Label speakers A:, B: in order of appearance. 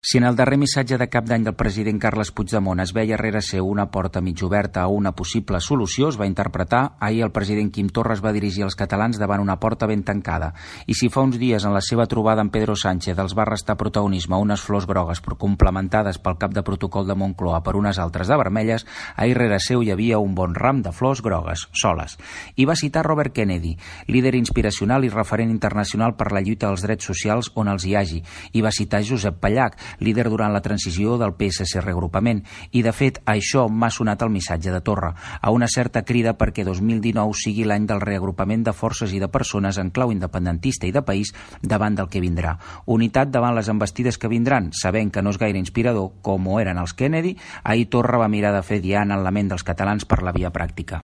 A: Si en el darrer missatge de cap d'any del president Carles Puigdemont es veia rere seu una porta mig oberta a una possible solució, es va interpretar, ahir el president Quim Torra es va dirigir als catalans davant una porta ben tancada. I si fa uns dies en la seva trobada amb Pedro Sánchez els va restar protagonisme unes flors grogues complementades pel cap de protocol de Moncloa per unes altres de vermelles, ahir rere seu hi havia un bon ram de flors grogues, soles. I va citar Robert Kennedy, líder inspiracional i referent internacional per la lluita dels drets socials on els hi hagi. I va citar Josep Pallach, líder durant la transició del PSC reagrupament, i de fet això m'ha sonat el missatge de Torra, a una certa crida perquè 2019 sigui l'any del reagrupament de forces i de persones en clau independentista i de país davant del que vindrà. Unitat davant les envestides que vindran, sabent que no és gaire inspirador, com ho eren els Kennedy, ahir Torra va mirar de fer diana en la ment dels catalans per la via pràctica.